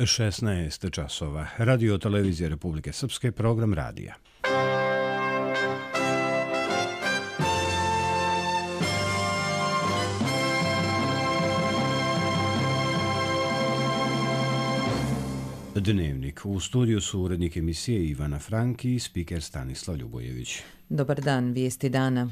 16 časova. Radio televizije Republike Srpske, program radija. Dnevnik. U studiju su urednik emisije Ivana Franki i spiker Stanislav Ljubojević. Dobar dan, vijesti dana.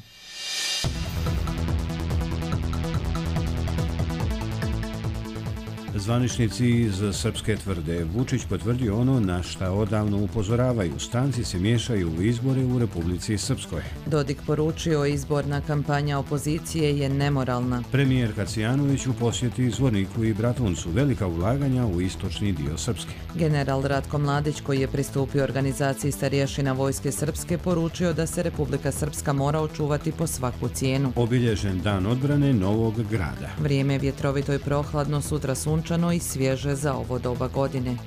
Zvaničnici iz Srpske tvrde, Vučić potvrdio ono na šta odavno upozoravaju. Stranci se miješaju u izbore u Republici Srpskoj. Dodik poručio, izborna kampanja opozicije je nemoralna. Premijer Kacijanović u posjeti Zvorniku i Bratuncu, velika ulaganja u istočni dio Srpske. General Ratko Mladić, koji je pristupio organizaciji starješina Vojske Srpske, poručio da se Republika Srpska mora očuvati po svaku cijenu. Obilježen dan odbrane Novog Grada. Vrijeme je vjetrovito i prohladno, sutra sunčano i svježe za ovo doba godine.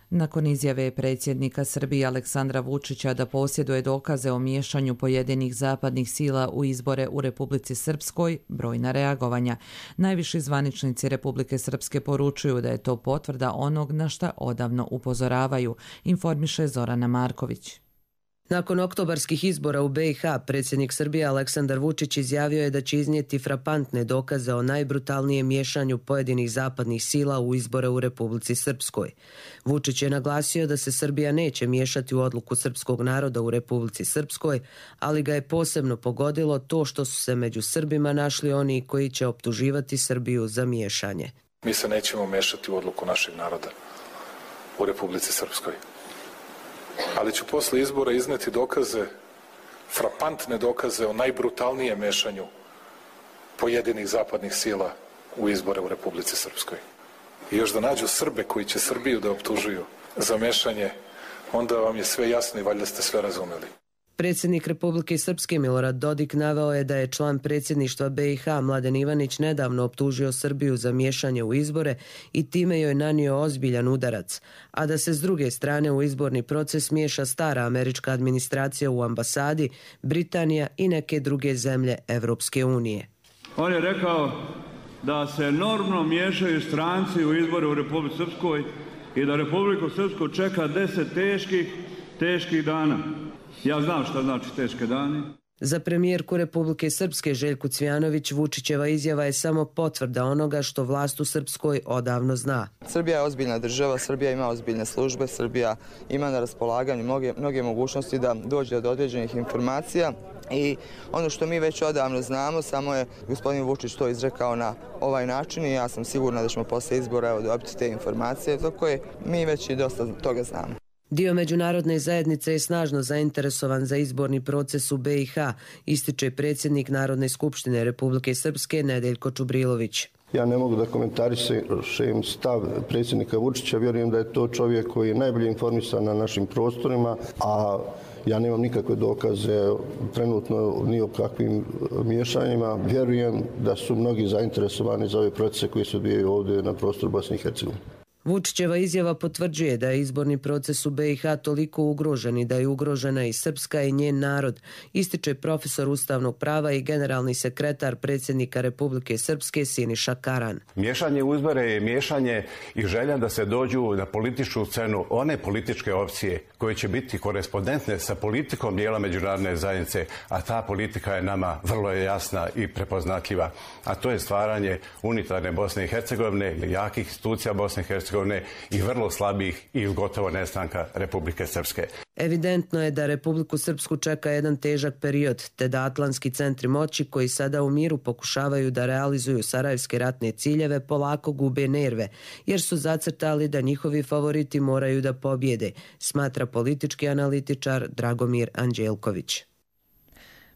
Nakon izjave predsjednika Srbije Aleksandra Vučića da posjeduje dokaze o miješanju pojedinih zapadnih sila u izbore u Republici Srpskoj, brojna reagovanja. Najviši zvaničnici Republike Srpske poručuju da je to potvrda onog na šta odavno upozoravaju, informiše Zorana Marković. Nakon oktobarskih izbora u BiH, predsjednik Srbije Aleksandar Vučić izjavio je da će iznijeti frapantne dokaze o najbrutalnijem miješanju pojedinih zapadnih sila u izbore u Republici Srpskoj. Vučić je naglasio da se Srbija neće miješati u odluku srpskog naroda u Republici Srpskoj, ali ga je posebno pogodilo to što su se među Srbima našli oni koji će optuživati Srbiju za miješanje. Mi se nećemo miješati u odluku našeg naroda u Republici Srpskoj. Ali ću posle izbora izneti dokaze, frapantne dokaze o najbrutalnijem mešanju pojedinih zapadnih sila u izbore u Republici Srpskoj. I još da nađu Srbe koji će Srbiju da optužuju za mešanje, onda vam je sve jasno i valjda ste sve razumeli. Predsjednik Republike Srpske Milorad Dodik naveo je da je član predsjedništva BiH Mladen Ivanić nedavno optužio Srbiju za miješanje u izbore i time joj nanio ozbiljan udarac, a da se s druge strane u izborni proces miješa stara američka administracija u ambasadi, Britanija i neke druge zemlje Evropske unije. On je rekao da se enormno miješaju stranci u izbore u Republici Srpskoj i da Republiku Srpsku čeka 10 teških dana. Ja znam šta znači teške dane. Za premijerku Republike Srpske Željku Cvijanović Vučićeva izjava je samo potvrda onoga što vlast u Srpskoj odavno zna. Srbija je ozbiljna država, Srbija ima ozbiljne službe, Srbija ima na raspolaganju mnoge mogućnosti da dođe do određenih informacija i ono što mi već odavno znamo, samo je gospodin Vučić to izrekao na ovaj način i ja sam sigurna da ćemo posle izbora dobiti te informacije za koje mi već i dosta toga znamo. Dio međunarodne zajednice je snažno zainteresovan za izborni proces u BiH, ističe predsjednik Narodne skupštine Republike Srpske Nedeljko Čubrilović. Ja ne mogu da komentarišem stav predsjednika Vučića, vjerujem da je to čovjek koji je najbolje informisan na našim prostorima, a ja nemam nikakve dokaze trenutno ni o kakvim miješanjima. Vjerujem da su mnogi zainteresovani za ove procese koji se odvijaju ovdje na prostoru Bosne i Hercegovine. Vučićeva izjava potvrđuje da je izborni proces u BiH toliko ugrožen i da je ugrožena i Srpska i njen narod, ističe profesor ustavnog prava i generalni sekretar predsjednika Republike Srpske Siniša Karan. Miješanje u izbore je miješanje i želja da se dođu na političku scenu one političke opcije koje će biti korespondentne sa politikom dijela međunarodne zajednice, a ta politika je nama vrlo jasna i prepoznatljiva, a to je stvaranje unitarne Bosne i Hercegovine ili jakih institucija Bosne i Hercegovine i vrlo slabih i gotovo nestanka Republike Srpske. Evidentno je da Republiku Srpsku čeka jedan težak period, te da atlantski centri moći koji sada u miru pokušavaju da realizuju sarajevske ratne ciljeve polako gube nerve, jer su zacrtali da njihovi favoriti moraju da pobjede, smatra politički analitičar Dragomir Anđelković.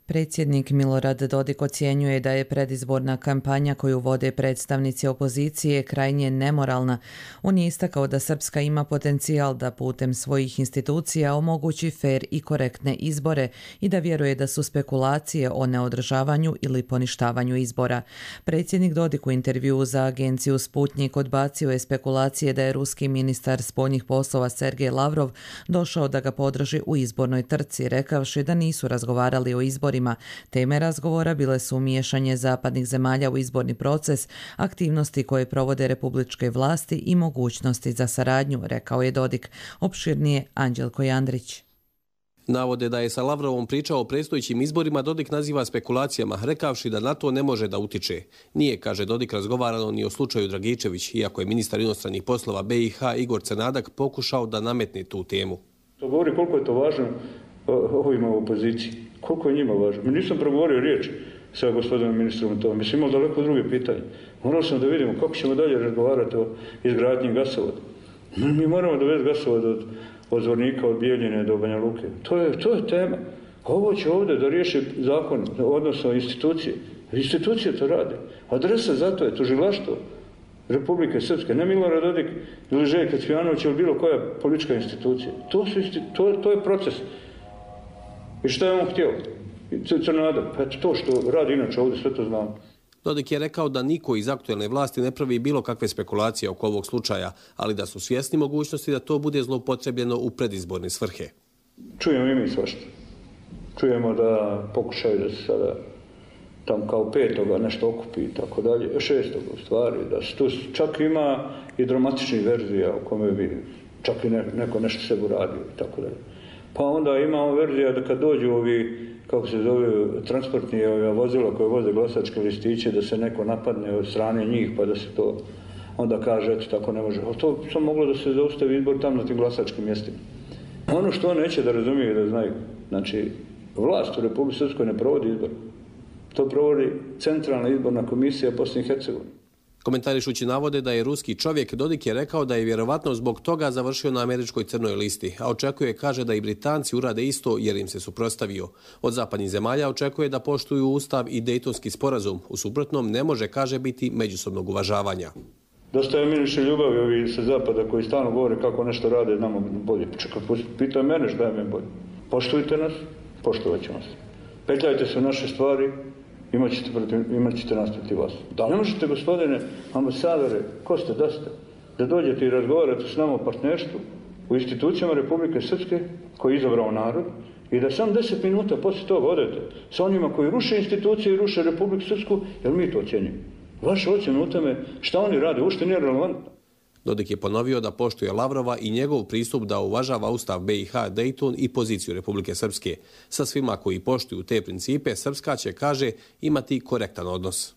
Predsjednik Milorad Dodik ocjenjuje da je predizborna kampanja koju vode predstavnici opozicije krajnje nemoralna. On je istakao da Srpska ima potencijal da putem svojih institucija omogući fer i korektne izbore i da vjeruje da su spekulacije o neodržavanju ili poništavanju izbora. Predsjednik Dodik u intervjuu za agenciju Sputnjik odbacio je spekulacije da je ruski ministar spoljnih poslova Sergej Lavrov došao da ga podrži u izbornoj trci, rekavši da nisu razgovarali o izborima izborima. Teme razgovora bile su miješanje zapadnih zemalja u izborni proces, aktivnosti koje provode republičke vlasti i mogućnosti za saradnju, rekao je Dodik. Opširnije Anđelko Jandrić. Navode da je sa Lavrovom pričao o predstojećim izborima Dodik naziva spekulacijama, rekavši da na to ne može da utiče. Nije, kaže Dodik, razgovarano ni o slučaju Dragičević, iako je ministar inostranih poslova BiH Igor Crnadak pokušao da nametne tu temu. To govori koliko je to važno ovima u opoziciji. Koliko je njima važno. Mi nisam progovorio riječ sa gospodinom ministrom o tome. Mi smo imali daleko druge pitanje. Morali smo da vidimo kako ćemo dalje razgovarati o izgradnji gasovoda. Mi moramo dovesti gasovod od Zvornika, od Bijeljine do Banja Luke. To je tema. Ovo će ovdje da riješi zakon, odnosno institucije. Institucije to rade. Adresa za to je tužilaštvo Republike Srpske, ne Milorad Dodik ili Željko Cvijanović ili bilo koja politička institucija. To je proces. I šta je on htio? Crnadak. Eto to što radi inače ovdje, sve to znamo. Dodik je rekao da niko iz aktuelne vlasti ne pravi bilo kakve spekulacije oko ovog slučaja, ali da su svjesni mogućnosti da to bude zloupotrebljeno u predizborne svrhe. Čujemo i mi svašta. Čujemo da pokušaju da se sada tam kao 5. nešto okupi i tako dalje, 6. u stvari, da se tu čak ima i dramatičnih verzija u kome bi čak i neko nešto sebi uradio i tako dalje. Pa onda imamo verzija da kad dođu ovi, kako se zove, transportni vozila koje voze glasačke listiće, da se neko napadne od strane njih, pa da se to onda kaže, eto tako ne može. Ali to samo moglo da se zaustavi izbor tamo na tim glasačkim mjestima. Ono što on neće da razumije i da znaju, znači, vlast u Republike Srpskoj ne provodi izbor. To provodi Centralna izborna komisija Bosne i Hercegovine. Komentarišući navode da je ruski čovjek, Dodik je rekao da je vjerovatno zbog toga završio na američkoj crnoj listi, a očekuje, kaže, da i Britanci urade isto jer im se suprotstavio. Od zapadnih zemalja očekuje da poštuju ustav i Dejtonski sporazum, u suprotnom ne može, kaže, biti međusobnog uvažavanja. Dosta je miriše ljubavi ovi sa zapada koji stalno govore kako nešto rade nama bolje. Čekaj, pitaju mene šta je meni bolje. Poštujte nas, poštovat ćemo se. Petljajte se u naše stvari, imat ćete nas protiv vas. Da ne možete, gospodine ambasadore, ko ste, da ste, da dođete i razgovarate s nama o partnerstvu u institucijama Republike Srpske koji je izabrao narod i da sam 10 minuta poslije toga odete sa onima koji ruše institucije i ruše Republiku Srpsku, jer mi to ocjenjujemo. Vaša ocjena u tome šta oni rade, uopšte nije relevantno. Dodik je ponovio da poštuje Lavrova i njegov pristup da uvažava ustav BiH, Dejton i poziciju Republike Srpske. Sa svima koji poštuju te principe, Srpska će, kaže, imati korektan odnos.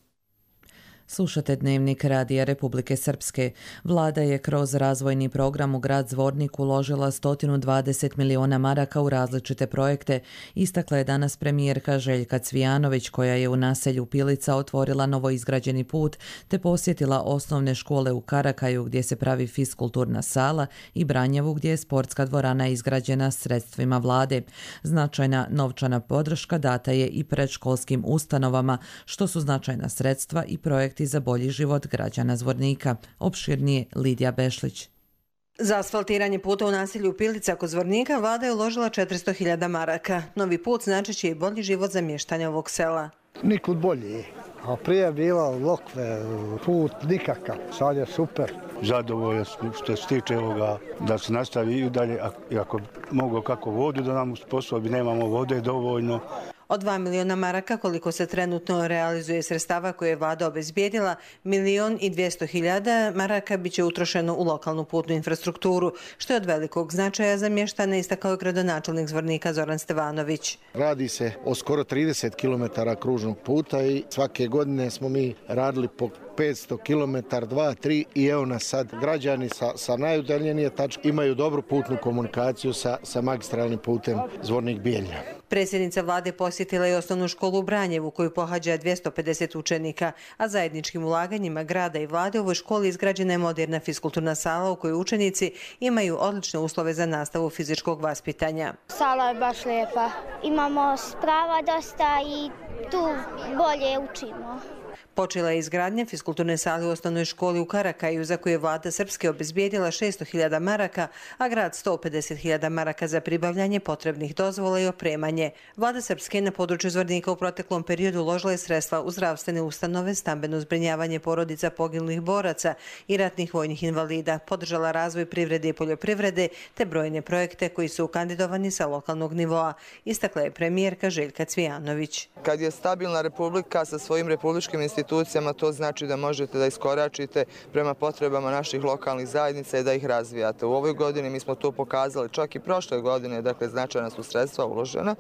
Slušate Dnevnik Radija Republike Srpske. Vlada je kroz razvojni program u grad Zvornik uložila 120 miliona maraka u različite projekte. Istakla je danas premijerka Željka Cvijanović, koja je u naselju Pilica otvorila novoizgrađeni put te posjetila osnovne škole u Karakaju gdje se pravi fiskulturna sala i Branjevu gdje je sportska dvorana izgrađena sredstvima vlade. Značajna novčana podrška data je i predškolskim ustanovama, što su značajna sredstva i projekti za bolji život građana Zvornika. Opširnije Lidija Bešlić. Za asfaltiranje puta u naselju Pilica kod Zvornika vlada je uložila 400.000 maraka. Novi put znači će i bolji život za mještanje ovog sela. Nikud bolji. A prije je bila lokve, put nikakav. Sad je super. Zadovoljan što se tiče ovoga da se nastavi i dalje. Ako mogu kako vodu da nam usposobi, nemamo vode dovoljno. Od 2 miliona maraka koliko se trenutno realizuje sredstava koje je vlada obezbijedila, 1.200.000 maraka bit će utrošeno u lokalnu putnu infrastrukturu, što je od velikog značaja za mještane, istakao je gradonačelnik Zvornika Zoran Stevanović. Radi se o skoro 30 km kružnog puta i svake godine smo mi radili po 500 km, 2, 3 i evo nas sad. Građani sa najudaljenije tačke imaju dobru putnu komunikaciju sa magistralnim putem Zvornik-Bijeljina. Predsjednica vlade posjetila je osnovnu školu u Branjevu koju pohađa 250 učenika, a zajedničkim ulaganjima grada i vlade u ovoj školi izgrađena je moderna fiskulturna sala u kojoj učenici imaju odlične uslove za nastavu fizičkog vaspitanja. Sala je baš lijepa. Imamo sprava dosta i tu bolje učimo. Počela je izgradnja fiskulturne sale u osnovnoj školi u Karakaju, za koju je vlada Srpske obezbijedila 600.000 maraka, a grad 150.000 maraka za pribavljanje potrebnih dozvola i opremanje. Vlada Srpske na području Zvornika u proteklom periodu uložila je sredstva u zdravstvene ustanove, stambeno zbrinjavanje porodica poginulih boraca i ratnih vojnih invalida, podržala razvoj privrede i poljoprivrede te brojne projekte koji su kandidovani sa lokalnog nivoa, istakla je premijerka Željka Cvijanović. Kad je stabilna republika sa svojim republičkim institucijama, to znači da možete da iskoračite prema potrebama naših lokalnih zajednica i da ih razvijate. U ovoj godini mi smo to pokazali, čak i prošle godine, dakle značajna su sredstva uložena.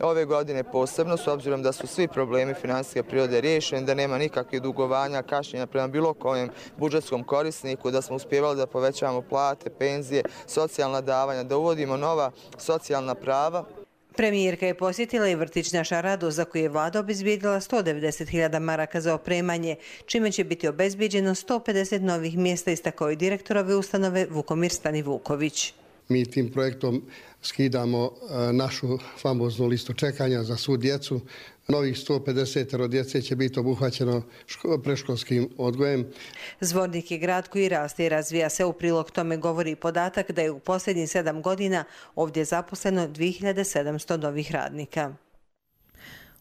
Ove godine posebno, s obzirom da su svi problemi finansijske prirode riješeni, da nema nikakvih dugovanja, kašnjenja prema bilo kojem budžetskom korisniku, da smo uspjevali da povećavamo plate, penzije, socijalna davanja, da uvodimo nova socijalna prava. Premijerka je posjetila i vrtić Naša radost, za koju je vlada obezbijedila 190.000 maraka za opremanje, čime će biti obezbijeđeno 150 novih mjesta, istakao je direktor ove ustanove Vukomir Stanivuković. Mi tim projektom skidamo našu famoznu listu čekanja za svu djecu. Novih 150 djece će biti obuhvaćeno predškolskim odgojem. Zvornik je grad koji raste i razvija se. U prilog tome govori i podatak da je u posljednjih 7 godina ovdje zaposleno 2700 novih radnika.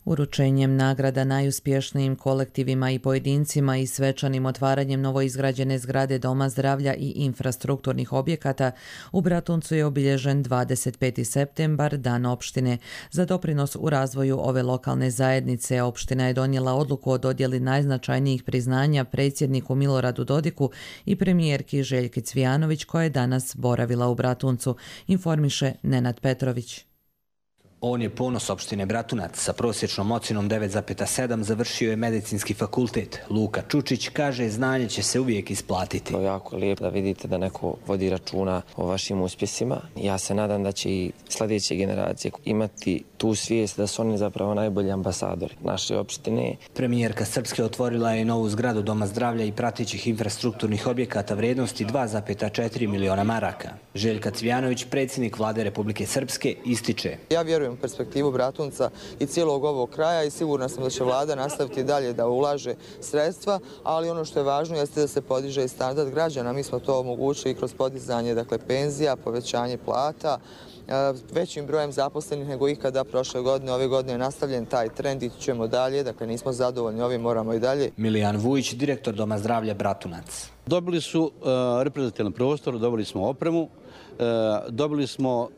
Uručenjem nagrada najuspješnijim kolektivima i pojedincima i svečanim otvaranjem novoizgrađene zgrade Doma zdravlja i infrastrukturnih objekata u Bratuncu je obilježen 25. septembar, Dan opštine. Za doprinos u razvoju ove lokalne zajednice opština je donijela odluku o dodjeli najznačajnijih priznanja predsjedniku Miloradu Dodiku i premijerki Željki Cvijanović, koja je danas boravila u Bratuncu, informiše Nenad Petrović. On je ponos opštine Bratunac. Sa prosječnom ocjenom 9,7 završio je medicinski fakultet. Luka Čučić kaže znanje će se uvijek isplatiti. To je jako lijepo da vidite da neko vodi računa o vašim uspjesima. Ja se nadam da će i sljedeće generacije imati tu svijest da su oni zapravo najbolji ambasadori naše opštine. Premijerka Srpske otvorila je novu zgradu Doma zdravlja i pratećih infrastrukturnih objekata vrijednosti 2,4 miliona maraka. Željka Cvijanović, predsjednik vlade Republike Srpske, ističe: Ja vjerujem u perspektivu Bratunca i cijelog ovog kraja i sigurna sam da će vlada nastaviti dalje da ulaže sredstva, ali ono što je važno jeste da se podiže i standard građana. Mi smo to omogućili kroz podizanje penzija, povećanje plata, većim brojem zaposlenih nego ikada prošle godine. Ove godine je nastavljen taj trend, ići ćemo dalje, dakle nismo zadovoljni ovim, moramo i dalje. Milijan Vujić, direktor Doma zdravlja Bratunac. Dobili su reprezentativni prostor, dobili smo opremu, dobili smo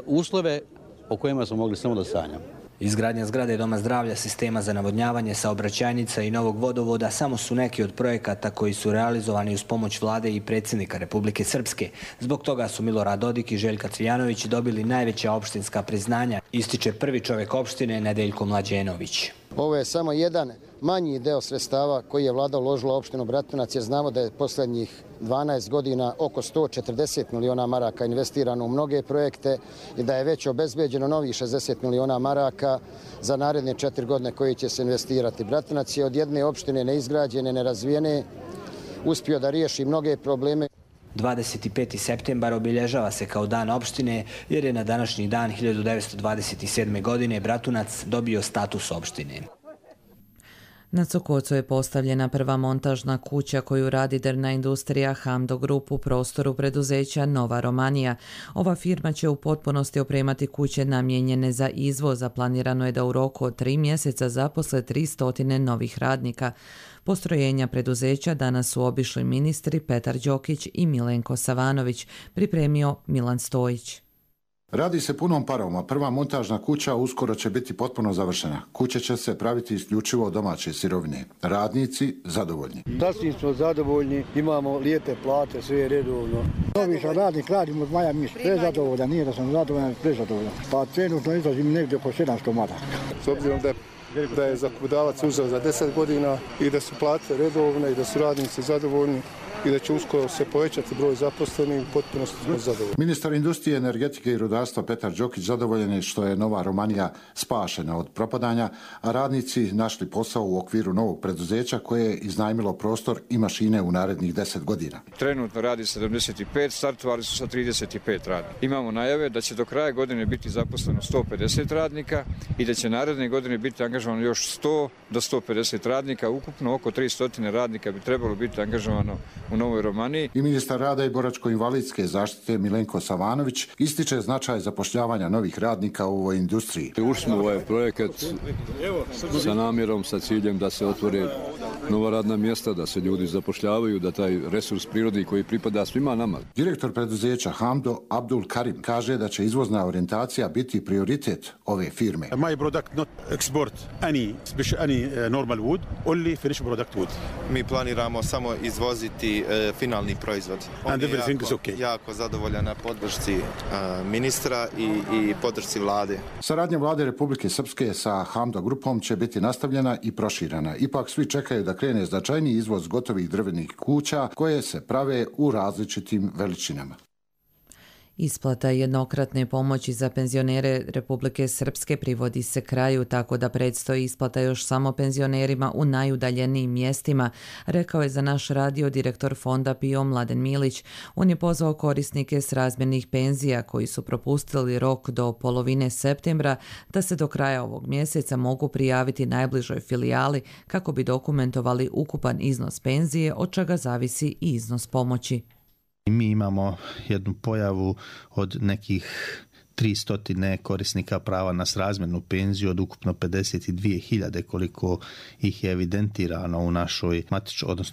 uslove o kojima smo mogli samo da sanjamo. Izgradnja zgrade Doma zdravlja, sistema za navodnjavanje, saobraćajnica i novog vodovoda samo su neki od projekata koji su realizovani uz pomoć vlade i predsjednika Republike Srpske. Zbog toga su Milorad Dodik i Željka Cvijanović dobili najveća opštinska priznanja, ističe prvi čovjek opštine Nedeljko Mlađenović. Ovo je samo jedan manji deo sredstava koji je vlada uložila opštinu Bratunac, jer znamo da je posljednjih 12 godina oko 140 miliona maraka investirano u mnoge projekte i da je već obezbeđeno novih 60 miliona maraka za naredne 4 godine koji će se investirati. Bratunac je od jedne opštine neizgrađene, nerazvijene, uspio da riješi mnoge probleme. 25. septembar obilježava se kao Dan opštine jer je na današnji dan 1927. godine Bratunac dobio status opštine. Na Cokocu je postavljena prva montažna kuća koju radi drvna industrija Hamdo Group u prostoru preduzeća Nova Romanija. Ova firma će u potpunosti opremati kuće namijenjene za izvoz, a planirano je da u roku od 3 mjeseca zaposle 300 novih radnika. Postrojenja preduzeća danas su obišli ministri Petar Đokić i Milenko Savanović, pripremio Milan Stojić. Radi se punom parom, a prva montažna kuća uskoro će biti potpuno završena. Kuća će se praviti isključivo od domaće sirovine. Radnici zadovoljni. Sasvim smo zadovoljni, imamo lijepe plate, sve je redovno. Novi sam radnik, radim od maja mjeseca, prezadovoljan, nije da sam zadovoljan, prezadovoljan. Pa trenutno izlazim negdje oko 700 maraka. S obzirom da je zakupodavac uzeo za 10 godina i da su plate redovne i da su radnici zadovoljni, i da će uskoro se povećati broj zaposlenih, potpuno smo zadovoljni. Ministar industrije, energetike i rudarstva Petar Đokić zadovoljan je što je Nova Romanija spašena od propadanja, a radnici našli posao u okviru novog preduzeća koje je iznajmilo prostor i mašine u narednih 10 godina. Trenutno radi 75, startovali su sa 35 radnika. Imamo najave da će do kraja godine biti zaposleno 150 radnika i da će naredne godine biti angažovano još 100 do 150 radnika. Ukupno oko 300 radnika bi trebalo biti angažovano u Novoj Romaniji. I ministar rada i boračko-invalidske zaštite Milenko Savanović ističe značaj zapošljavanja novih radnika u ovoj industriji. Ušli smo u ovaj projekat sa namjerom, sa ciljem da se otvore nova radna mjesta, da se ljudi zapošljavaju, da taj resurs prirodni koji pripada svima nama. Direktor preduzeća Hamdo Abdul Karim kaže da će izvozna orijentacija biti prioritet ove firme. My product not export any normal wood, only finished product wood. Mi planiramo samo izvoziti finalni proizvod. And everything is okay. Jako zadovoljan na podršci ministra i podršci vlade. Saradnja vlade Republike Srpske sa Hamdo grupom će biti nastavljena i proširena. Ipak svi čekaju da krene značajniji izvoz gotovih drvenih kuća koje se prave u različitim veličinama. Isplata jednokratne pomoći za penzionere Republike Srpske privodi se kraju, tako da predstoji isplata još samo penzionerima u najudaljenijim mjestima, rekao je za naš radio direktor fonda PIO Mladen Milić. On je pozvao korisnike srazmjernih penzija koji su propustili rok do polovine septembra da se do kraja ovog mjeseca mogu prijaviti najbližoj filijali kako bi dokumentovali ukupan iznos penzije, od čega zavisi i iznos pomoći. Mi imamo jednu pojavu od nekih 300 korisnika prava na srazmjernu penziju od ukupno 52.000 koliko ih je evidentirano u našoj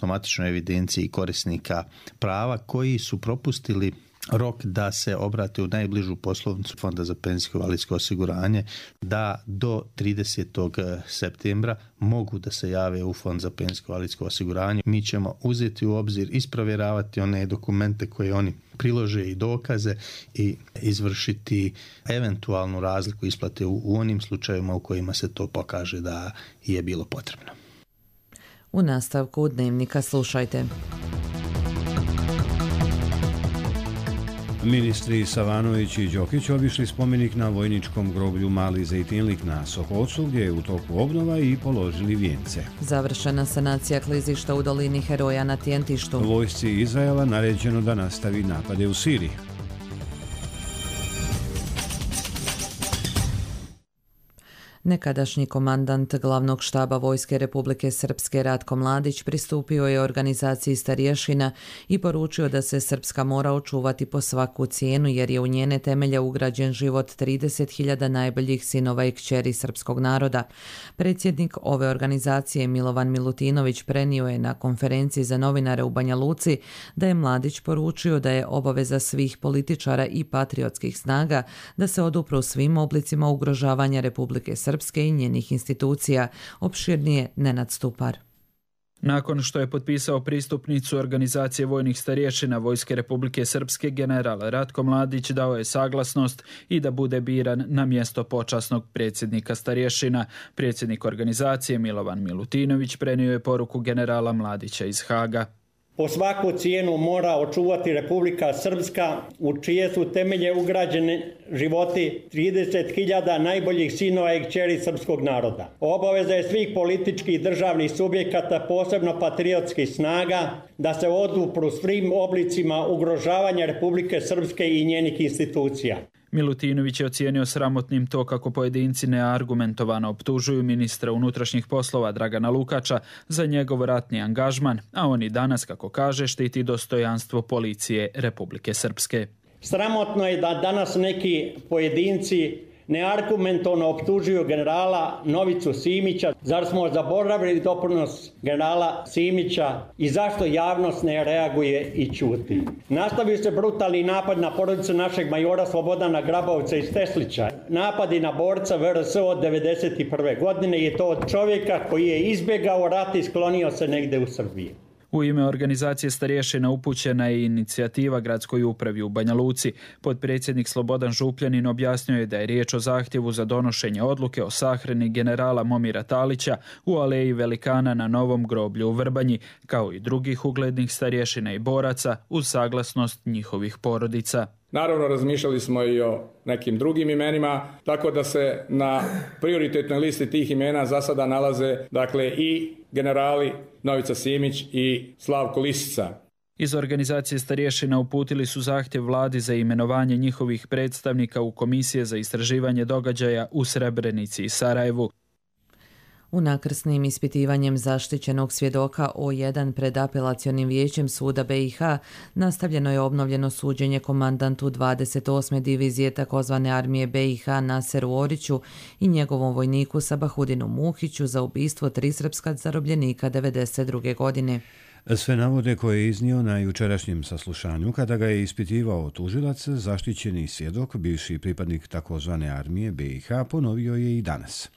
matičnoj evidenciji korisnika prava koji su propustili rok da se obrate u najbližu poslovnicu Fonda za penzijsko i invalidsko osiguranje, da do 30. septembra mogu da se jave u Fond za penzijsko i invalidsko osiguranje. Mi ćemo uzeti u obzir, isprovjeravati one dokumente koje oni prilože i dokaze i izvršiti eventualnu razliku isplate u onim slučajevima u kojima se to pokaže da je bilo potrebno. U nastavku Dnevnika slušajte. Ministri Savanović i Đokić obišli spomenik na vojničkom groblju Mali Zejtinlik na Sokocu, gdje je u toku obnova, i položili vijence. Završena sanacija klizišta u dolini Heroja na Tjentištu. Vojsci Izraela naređeno da nastavi napade u Siriji. Nekadašnji komandant glavnog štaba Vojske Republike Srpske Ratko Mladić pristupio je organizaciji starješina i poručio da se Srpska mora očuvati po svaku cijenu jer je u njene temelje ugrađen život 30.000 najboljih sinova i kćeri srpskog naroda. Predsjednik ove organizacije Milovan Milutinović prenio je na konferenciji za novinare u Banja Luci da je Mladić poručio da je obaveza svih političara i patriotskih snaga da se odupru svim oblicima ugrožavanja Republike Srpske i njenih institucija. Opširnije Nenad Stupar. Nakon što je potpisao pristupnicu organizacije vojnih starješina Vojske Republike Srpske, general Ratko Mladić dao je saglasnost i da bude biran na mjesto počasnog predsjednika starješina. Predsjednik organizacije Milovan Milutinović prenio je poruku generala Mladića iz Haga. Po svaku cijenu mora očuvati Republika Srpska, u čije su temelje ugrađene životi 30.000 najboljih sinova i kćeri srpskog naroda. Obaveza je svih političkih i državnih subjekata, posebno patriotskih snaga, da se odupru svim oblicima ugrožavanja Republike Srpske i njenih institucija. Milutinović je ocijenio sramotnim to kako pojedinci neargumentovano optužuju ministra unutrašnjih poslova Dragana Lukača za njegov ratni angažman, a on i danas, kako kaže, štiti dostojanstvo policije Republike Srpske. Sramotno je da danas neki pojedinci neargumentovano optužuju generala Novicu Simića. Zar smo zaboravili doprinos generala Simića i zašto javnost ne reaguje i ćuti? Nastavio se brutalni napad na porodicu našeg majora Slobodana Grabovca iz Teslića. Napadi na borca VRS od 1991. godine je to od čovjeka koji je izbjegao rat i sklonio se negde u Srbiji. U ime organizacije starješina upućena je inicijativa gradskoj upravi u Banja Luci. Potpredsjednik Slobodan Župljanin objasnio je da je riječ o zahtjevu za donošenje odluke o sahrani generala Momira Talića u aleji velikana na Novom groblju u Vrbanji, kao i drugih uglednih starješina i boraca uz saglasnost njihovih porodica. Naravno, razmišljali smo i o nekim drugim imenima, tako da se na prioritetnoj listi tih imena za sada nalaze i generali Novica Simić i Slavko Lisica. Iz organizacije starješina uputili su zahtjev vladi za imenovanje njihovih predstavnika u Komisije za istraživanje događaja u Srebrenici i Sarajevu. Unakrsnim ispitivanjem zaštićenog svjedoka O1 pred apelacionim vijećem suda BiH nastavljeno je obnovljeno suđenje komandantu 28. divizije tzv. armije BiH Naseru Oriću i njegovom vojniku Sabahudinu Muhiću za ubistvo 3 srpska zarobljenika 1992. godine. Sve navode koje je iznio na jučerašnjem saslušanju kada ga je ispitivao tužilac, zaštićeni svjedok, bivši pripadnik tzv. armije BiH, ponovio je i danas.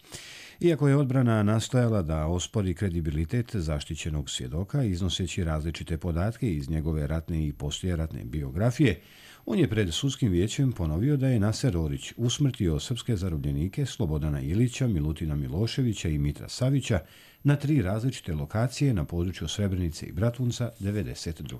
Iako je odbrana nastojala da ospori kredibilitet zaštićenog svjedoka iznoseći različite podatke iz njegove ratne i poslijeratne biografije, on je pred sudskim vijećem ponovio da je Naser Orić usmrtio srpske zarobljenike Slobodana Ilića, Milutina Miloševića i Mitra Savića na 3 različite lokacije na području Srebrenice i Bratunca 1992.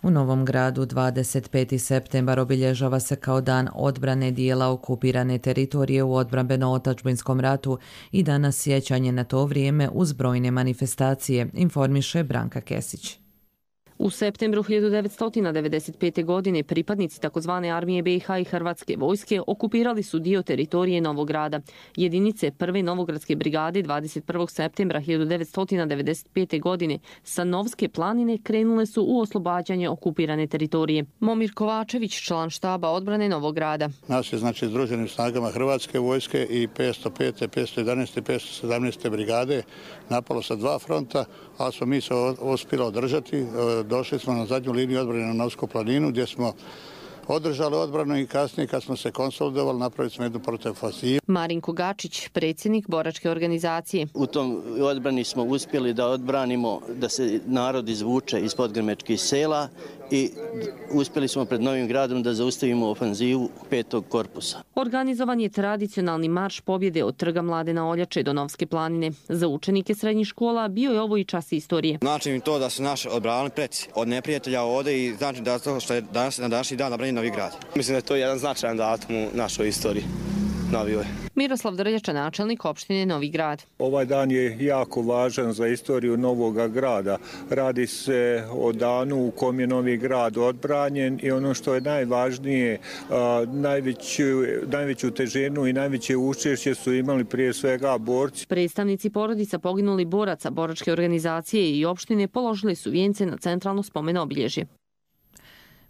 U Novom Gradu 25. septembar obilježava se kao dan odbrane dijela okupirane teritorije u odbrambeno-otačbinskom ratu i danas sjećanje na to vrijeme uz brojne manifestacije, informiše Branka Kesić. U septembru 1995. godine pripadnici tzv. armije BiH i Hrvatske vojske okupirali su dio teritorije Novog Grada. Jedinice 1. Novogradske brigade 21. septembra 1995. godine sa Novske planine krenule su u oslobađanje okupirane teritorije. Momir Kovačević, član štaba odbrane Novog Grada. Nas je združenim snagama Hrvatske vojske i 505. 511. 517. brigade napalo sa 2 fronta, ali smo mi se uspjeli održati. Došli smo na zadnju liniju odbrane na Novsku planinu gdje smo održali odbranu i kasnije kad smo se konsolidovali napravili smo jednu protivofanzivu. Marinko Gačić, predsjednik boračke organizacije. U tom odbrani smo uspjeli da odbranimo da se narod izvuče iz podgrmečkih sela i uspjeli smo pred Novim Gradom da zaustavimo ofanzivu 5. korpusa. Organizovan je tradicionalni marš pobjede od Trga Mladena Oljače do Novske planine. Za učenike srednjih škola bio je ovo i čas istorije. Znači mi to da su naši odbranili preci od neprijatelja ovdje i znači da to što je danas na današnji dan nabranjen Novi Grad. Mislim da je to jedan značajan datum u našoj istoriji. Miroslav Drljača, načelnik opštine Novi Grad. Ovaj dan je jako važan za istoriju Novog Grada. Radi se o danu u kom je Novi Grad odbranjen i ono što je najvažnije, najveću težinu i najveće učešće su imali prije svega borci. Predstavnici porodica poginuli boraca boračke organizacije i opštine položili su vijence na centralno spomen obilježje.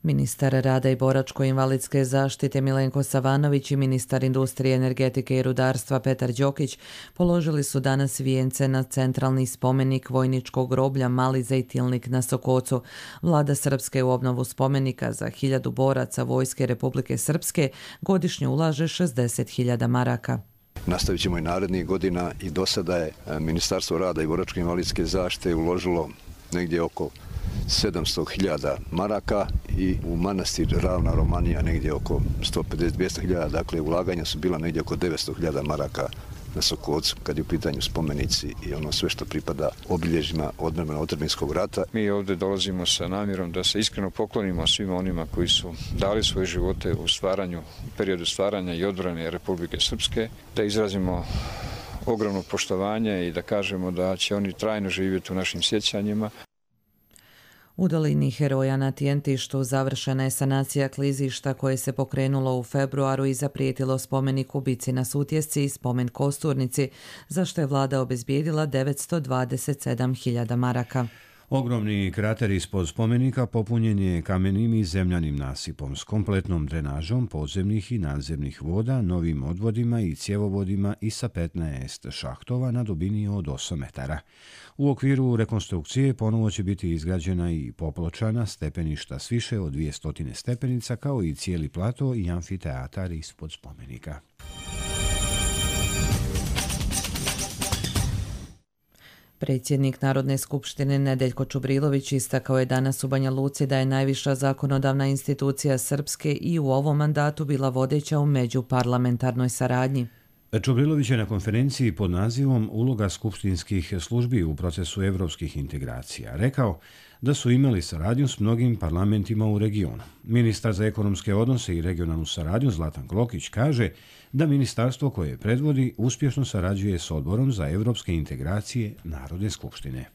Ministar rada i boračko-invalidske zaštite Milenko Savanović i ministar industrije, energetike i rudarstva Petar Đokić položili su danas vijence na centralni spomenik vojničkog groblja Mali Zejtilnik na Sokocu. Vlada Srpske u obnovu spomenika za 1000 boraca Vojske Republike Srpske godišnje ulaže 60.000 maraka. Nastavit ćemo i narednih godina i do sada je Ministarstvo rada i boračko-invalidske zaštite uložilo negdje oko 700.000 maraka i u manastir Ravna Romanija negdje oko 150-200.000, dakle ulaganja su bila negdje oko 900.000 maraka na Sokocu kad je u pitanju spomenici i ono sve što pripada obilježjima odbrambeno-otadžbinskog rata. Mi ovdje dolazimo sa namjerom da se iskreno poklonimo svima onima koji su dali svoje živote u periodu stvaranja i odbrane Republike Srpske, da izrazimo ogromno poštovanje i da kažemo da će oni trajno živjeti u našim sjećanjima. U dolini Heroja na Tijentištu završena je sanacija klizišta koje se pokrenulo u februaru i zaprijetilo spomenik ubici na Sutjesci i spomen Kosturnici, za što je vlada obezbijedila 927.000 maraka. Ogromni krater ispod spomenika popunjen je kamenim i zemljanim nasipom s kompletnom drenažom podzemnih i nadzemnih voda, novim odvodima i cjevovodima i sa 15 šahtova na dubini od 8 metara. U okviru rekonstrukcije ponovo će biti izgrađena i popločana stepeništa s više od 200 stepenica kao i cijeli plato i amfiteatar ispod spomenika. Predsjednik Narodne skupštine Nedeljko Čubrilović istakao je danas u Banja Luci da je najviša zakonodavna institucija Srpske i u ovom mandatu bila vodeća u međuparlamentarnoj saradnji. Čubrilović je na konferenciji pod nazivom Uloga skupštinskih službi u procesu evropskih integracija rekao da su imali saradnju s mnogim parlamentima u regionu. Ministar za ekonomske odnose i regionalnu saradnju Zlatan Klokić kaže da ministarstvo koje predvodi uspješno sarađuje s Odborom za evropske integracije Narodne skupštine.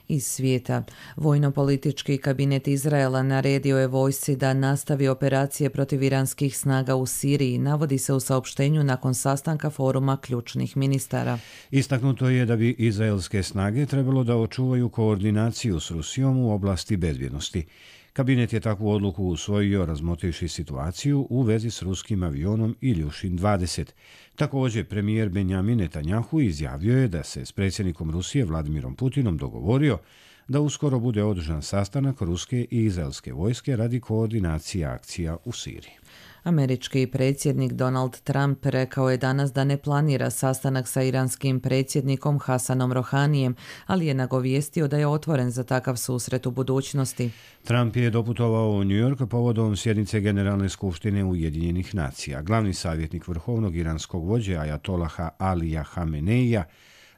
Iz svijeta, vojno-politički kabinet Izraela naredio je vojsci da nastavi operacije protiv iranskih snaga u Siriji, navodi se u saopštenju nakon sastanka foruma ključnih ministara. Istaknuto je da bi izraelske snage trebalo da očuvaju koordinaciju s Rusijom u oblasti bezbjednosti. Kabinet je takvu odluku usvojio razmotrivši situaciju u vezi s ruskim avionom Iljušin 20. Također, premijer Benjamin Netanjahu izjavio je da se s predsjednikom Rusije Vladimirom Putinom dogovorio da uskoro bude održan sastanak ruske i izraelske vojske radi koordinacije akcija u Siriji. Američki predsjednik Donald Trump rekao je danas da ne planira sastanak sa iranskim predsjednikom Hasanom Rohanijem, ali je nagovijestio da je otvoren za takav susret u budućnosti. Trump je doputovao u New York povodom sjednice Generalne skupštine Ujedinjenih nacija. Glavni savjetnik vrhovnog iranskog vođe Ajatolaha Alija Hameneija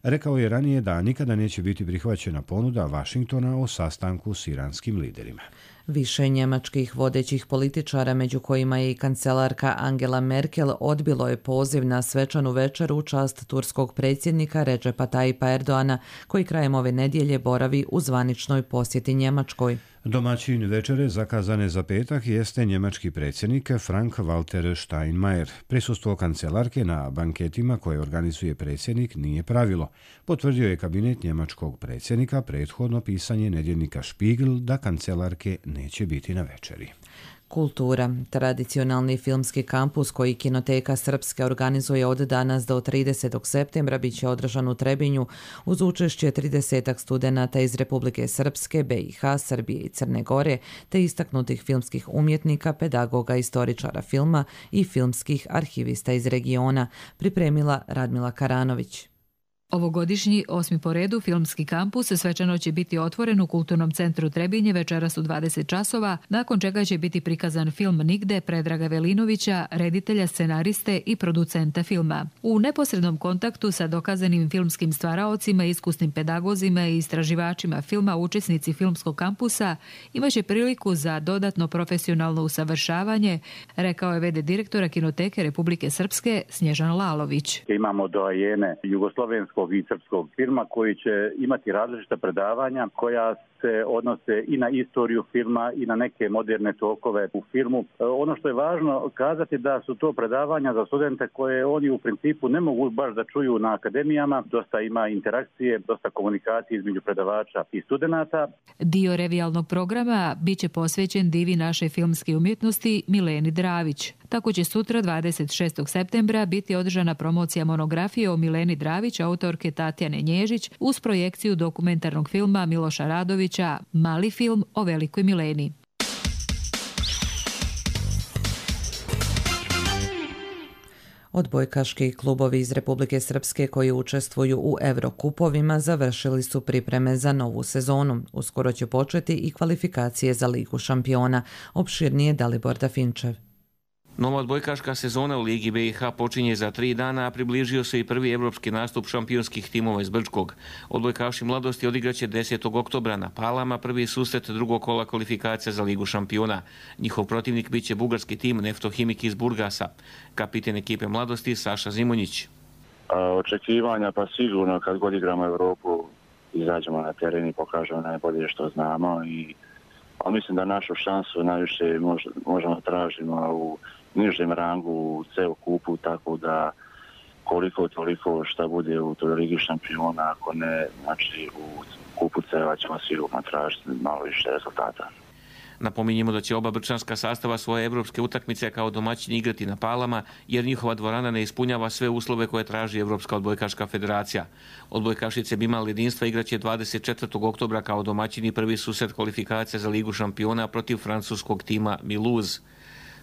rekao je ranije da nikada neće biti prihvaćena ponuda Vašingtona o sastanku s iranskim liderima. Više njemačkih vodećih političara, među kojima je i kancelarka Angela Merkel, odbilo je poziv na svečanu večeru u čast turskog predsjednika Recepa Tayyipa Erdoana, koji krajem ove nedjelje boravi u zvaničnoj posjeti Njemačkoj. Domaćin večere zakazane za petak jeste njemački predsjednik Frank-Walter Steinmeier. Prisustvo kancelarke na banketima koje organizuje predsjednik nije pravilo. Potvrdio je kabinet njemačkog predsjednika prethodno pisanje nedjeljnika Spiegel da kancelarke neće biti na večeri. Kultura. Tradicionalni filmski kampus koji Kinoteka Srpske organizuje od danas do 30. septembra bit će održan u Trebinju uz učešće 30 studenata iz Republike Srpske, BiH, Srbije i Crne Gore, te istaknutih filmskih umjetnika, pedagoga, istoričara filma i filmskih arhivista iz regiona, pripremila Radmila Karanović. Ovogodišnji 8. po redu filmski kampus svečano će biti otvoren u Kulturnom centru Trebinje večeras u 20 časova, nakon čega će biti prikazan film Nigde Predraga Velinovića, reditelja, scenariste i producenta filma. U neposrednom kontaktu sa dokazanim filmskim stvaraocima, iskusnim pedagozima i istraživačima filma, učesnici filmskog kampusa imaće priliku za dodatno profesionalno usavršavanje, rekao je v.d. direktora Kinoteke Republike Srpske Snježan Lalović. Imamo doajene jugoslovenskog i srpskog filma koji će imati različita predavanja koja se odnose i na istoriju filma i na neke moderne tokove u filmu. Ono što je važno kazati da su to predavanja za studente koje oni u principu ne mogu baš da čuju na akademijama. Dosta ima interakcije, dosta komunikacije između predavača i studenata. Dio revijalnog programa biće posvećen divi naše filmske umjetnosti Mileni Dravić. Tako će sutra 26. septembra biti održana promocija monografije o Mileni Dravić, autorke Tatjane Nježić, uz projekciju dokumentarnog filma Miloša Radovića Mali film o velikoj Mileni. Odbojkaški klubovi iz Republike Srpske koji učestvuju u Evrokupovima završili su pripreme za novu sezonu. Uskoro će početi i kvalifikacije za Ligu šampiona. Opširnije Dalibor Dafinčev. Nova odbojkaška sezona u Ligi BiH počinje za 3 dana, a približio se i prvi evropski nastup šampionskih timova iz Brčkog. Odbojkaši mladosti odigraće 10. oktobra na Palama prvi susret drugog kola kvalifikacija za Ligu šampiona. Njihov protivnik biće bugarski tim Neftohimik iz Burgasa. Kapiten ekipe mladosti Saša Zimonjić. Očekivanja pa sigurno kad god igramo Evropu izađemo na teren i pokažemo najbolje što znamo ali mislim da našu šansu najviše možemo tražimo u nižem rangu u ceo kupu, tako da koliko toliko šta bude u toj Ligi šampiona, ako ne, znači u kupu ceva ćemo sigurno tražiti malo više rezultata. Napominjemo da će oba brčanska sastava svoje evropske utakmice kao domaćini igrati na Palama, jer njihova dvorana ne ispunjava sve uslove koje traži Evropska odbojkaška federacija. Odbojkašice Bimal jedinstva igraće 24. oktobra kao domaćini prvi susret kvalifikacija za Ligu šampiona protiv francuskog tima Mulhouse.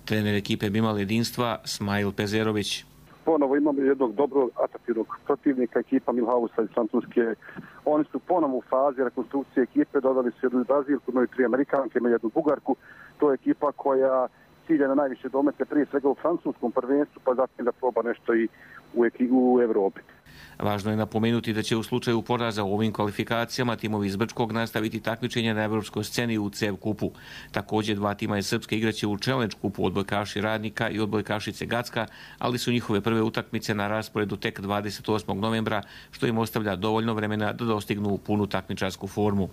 Trener ekipe Bimal jedinstva Smail Pezerović. ponovo imamo jednog dobrog atraktivnog protivnika, ekipa Milhausa iz Francuske. Oni su ponovo u fazi rekonstrukcije ekipe, dodali su jednu Brazilku, imaju 3 Amerikanke, imaju jednu Bugarku. To je ekipa koja cilja na najviše domete, prije svega u francuskom prvenstvu, pa zatim da proba nešto i u Evropi. Važno je napomenuti da će u slučaju poraza u ovim kvalifikacijama timovi iz Brčkog nastaviti takmičenje na evropskoj sceni u CEV kupu. Također 2 tima iz Srpske igraće u Challenge kupu, odbojkaši Radnika i odbojkašice Gacka, ali su njihove prve utakmice na rasporedu tek 28. novembra, što im ostavlja dovoljno vremena da dostignu punu takmičarsku formu.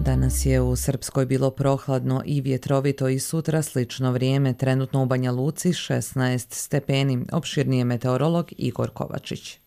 Danas je u Srpskoj bilo prohladno i vjetrovito i sutra slično vrijeme, trenutno u Banja Luci 16 stepeni. Opširnije meteorolog Igor Kovačić.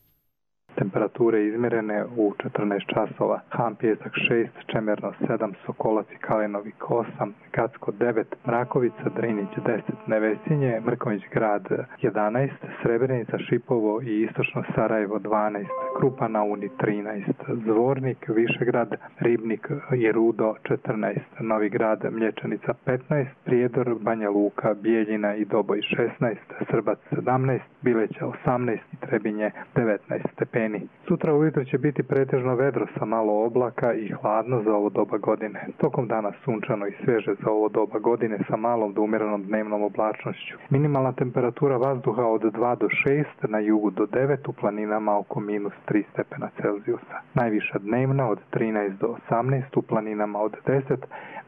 Temperature izmjerene u 14 časova. Han Pijesak 6, Čemerno 7, Sokolac i Kalinovik 8, Gacko 9, Mrakovica, Drinić 10, Nevesinje, Mrkonjić grad 11, Srebrenica, Šipovo i istočno Sarajevo 12, Krupa na Uni 13, Zvornik, Višegrad, Ribnik i Rudo 14, Novi grad, Mlječanica 15, Prijedor, Banja Luka, Bijeljina i Doboj 16, Srbac 17, Bileća 18 i Trebinje 19 stepeni. Sutra ujutro će biti pretežno vedro sa malo oblaka i hladno za ovo doba godine. Tokom dana sunčano i sveže za ovo doba godine sa malom do umjerenom dnevnom oblačnošću. Minimalna temperatura vazduha od 2 do 6, na jugu do 9, u planinama oko -3 stepena Celzijusa. Najviša dnevna od 13 do 18, u planinama od 10,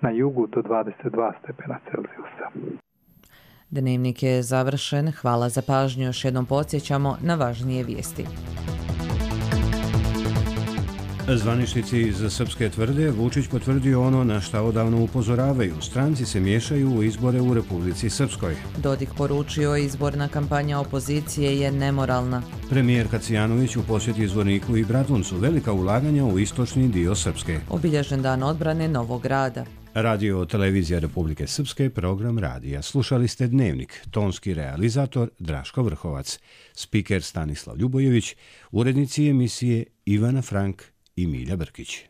na jugu do 22 stepena Celzijusa. Dnevnik je završen. Hvala za pažnju. Još jednom podsjećamo na važnije vijesti. Zvaničnici iz Srpske tvrde Vučić potvrdio ono na šta odavno upozoravaju. Stranci se miješaju u izbore u Republici Srpskoj. Dodik poručio, izborna kampanja opozicije je nemoralna. Premijer Kacijanović u posjeti Zvorniku i Bratuncu, velika ulaganja u istočni dio Srpske. Obilježen dan odbrane Novog Grada. Radio televizija Republike Srpske, program radija. Slušali ste Dnevnik, tonski realizator Draško Vrhovac, spiker Stanislav Ljubojević, urednici emisije Ivana Frank i Milja Brkić.